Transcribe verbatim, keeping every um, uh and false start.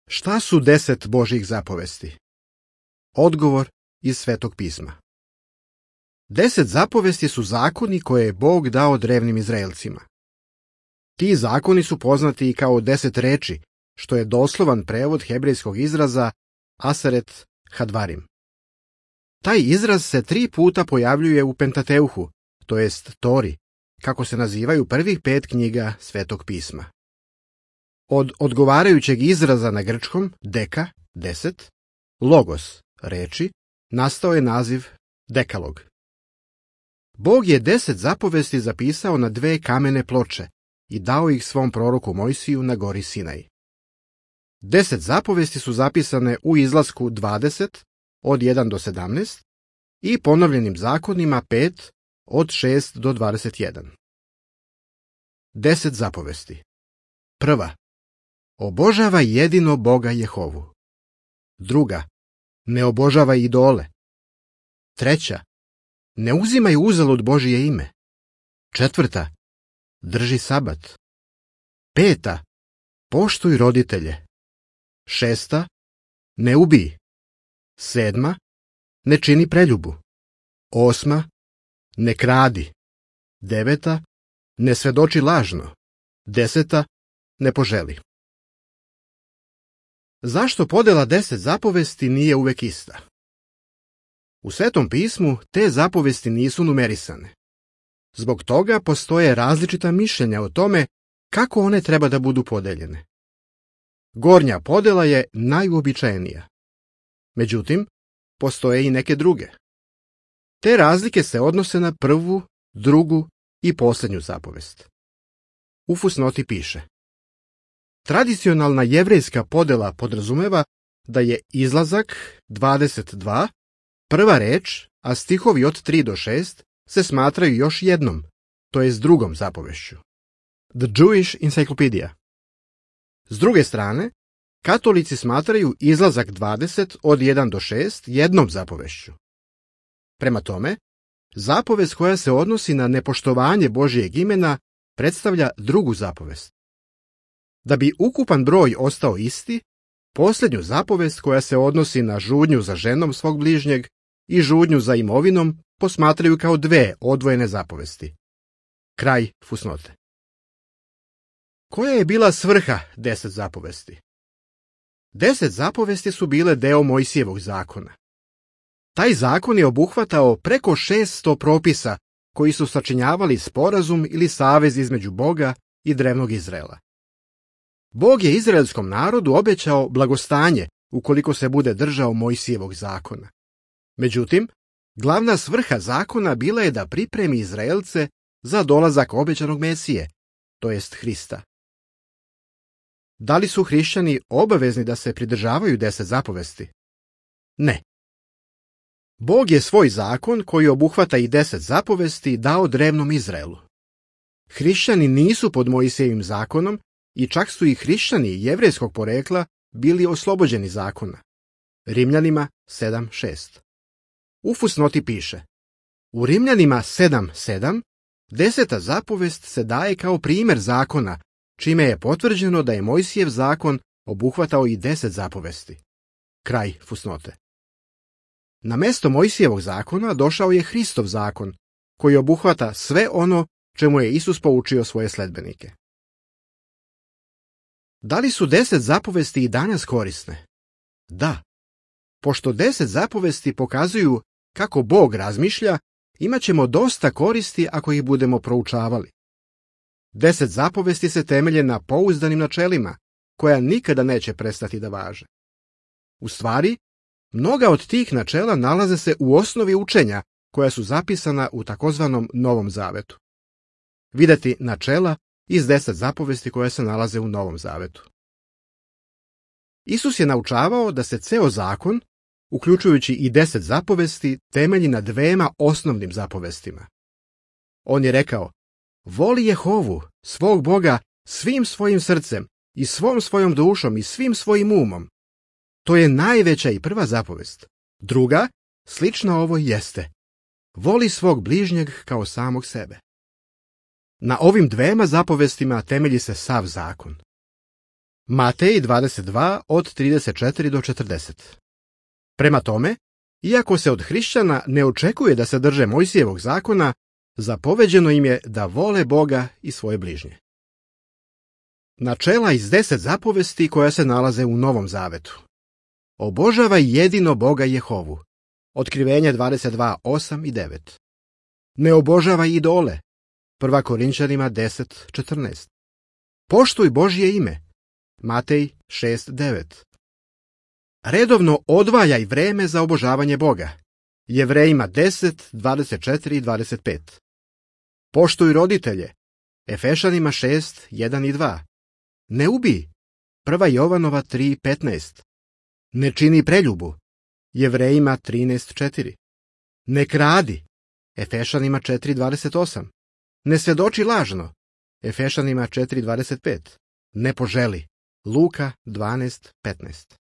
Šta su deset Božjih zapovesti? Odgovor iz Svetog pisma. Deset zapovesti su zakoni koje je Bog dao drevnim Izraelcima. Ti zakoni su poznati i kao deset reči, što je doslovan prevod hebrejskog izraza Aseret Hadvarim. Taj izraz se tri puta pojavljuje u Pentateuhu, to jest Tori, kako se nazivaju prvih pet knjiga Svetog pisma. Od odgovarajućeg izraza na grčkom, deka, deset, logos, reči, nastao je naziv dekalog. Bog je deset zapovesti zapisao na dve kamene ploče i dao ih svom proroku Mojsiju na gori Sinaj. Deset zapovesti su zapisane u Izlasku dvadeset, od jedan do sedamnaest, i ponovljenim zakonima pet, od šest do dvadeset jedan. Deset zapovesti. Prva. Obožavaj jedino Boga Jehovu. Druga. Ne obožavaj idole. Treća. Ne uzimaj uzalud Božije ime. Četvrta. Drži sabat. Peta. Poštuj roditelje. Šesta. Ne ubij. Sedma. Ne čini preljubu. Osma. Ne kradi. Deveta. Ne svedoči lažno. Deseta. Ne poželi. Zašto podela deset zapovesti nije uvek ista? U Svetom pismu te zapovesti nisu numerisane. Zbog toga postoje različita mišljenja o tome kako one treba da budu podeljene. Gornja podela je najuobičajenija. Međutim, postoje i neke druge. Te razlike se odnose na prvu, drugu i posljednju zapovest. U fusnoti piše: tradicionalna jevrejska podela podrazumeva da je Izlazak dvadeset dva prva reč, a stihovi od tri do šest se smatraju još jednom, to jest drugom zapovešću. The Jewish Encyclopedia. S druge strane, katolici smatraju Izlazak dvadeset od jedan do šest jednom zapovešću. Prema tome, zapovest koja se odnosi na nepoštovanje Božijeg imena predstavlja drugu zapovest. Da bi ukupan broj ostao isti, posljednju zapovest koja se odnosi na žudnju za ženom svog bližnjeg i žudnju za imovinom posmatraju kao dve odvojene zapovesti. Kraj fusnote. Koja je bila svrha deset zapovesti? Deset zapovesti su bile deo Mojsijevog zakona. Taj zakon je obuhvatao preko šeststo propisa koji su sačinjavali sporazum ili savez između Boga i drevnog Izraela. Bog je izraelskom narodu obećao blagostanje ukoliko se bude držao Mojsijevog zakona. Međutim, glavna svrha zakona bila je da pripremi Izraelce za dolazak obećanog Mesije, to jest Hrista. Da li su hrišćani obavezni da se pridržavaju deset zapovesti? Ne. Bog je svoj zakon, koji obuhvata i deset zapovesti, dao drevnom Izraelu. Hrišćani nisu pod Mojsijevim zakonom i čak su i hrišćani jevrejskog porekla bili oslobođeni zakona. Rimljanima sedam šest. U fusnoti piše: u Rimljanima sedam sedam deseta zapovest se daje kao primjer zakona, čime je potvrđeno da je Mojsijev zakon obuhvatao i deset zapovesti. Kraj fusnote. Na mesto Mojsijevog zakona došao je Hristov zakon, koji obuhvata sve ono čemu je Isus poučio svoje sledbenike. Da li su deset zapovesti i danas korisne? Da. Pošto deset zapovesti pokazuju kako Bog razmišlja, imat ćemo dosta koristi ako ih budemo proučavali. Deset zapovesti se temelje na pouzdanim načelima, koja nikada neće prestati da važe. U stvari, mnoga od tih načela nalaze se u osnovi učenja koja su zapisana u takozvanom Novom Zavetu. Videti načela iz deset zapovesti koje se nalaze u Novom Zavetu. Isus je naučavao da se ceo zakon, uključujući i deset zapovesti, temelji na dvema osnovnim zapovestima. On je rekao: voli Jehovu, svog Boga, svim svojim srcem i svom svojom dušom i svim svojim umom. To je najveća i prva zapovest. Druga, slična ovoj, jeste: voli svog bližnjeg kao samog sebe. Na ovim dvema zapovestima temelji se sav zakon. Matej dvadeset dva od trideset četiri do četrdeset. Prema tome, iako se od hrišćana ne očekuje da se drže Mojsijevog zakona, zapoveđeno im je da vole Boga i svoje bližnje. Načela iz deset zapovesti koja se nalaze u Novom zavetu. Obožavaj jedino Boga Jehovu. Otkrivenje dvadeset dva, osam i devet. Ne obožavaj idole. Prva Korinčanima deset, četrnaest. Poštuj Božje ime. Matej šest, devet. Redovno odvajaj vreme za obožavanje Boga. Jevrejima deset, dvadeset četiri i dvadeset pet. Poštuj roditelje. Efešanima šest, jedan i dva. Ne ubij. Prva Jovanova tri, petnaest. Ne čini preljubu. Jevrejima trinaest, četiri. Ne kradi. Efešanima četiri, dvadeset osam. Ne svedoči lažno. Efešanima četiri, dvadeset pet. Ne poželi. Luka dvanaest, petnaest.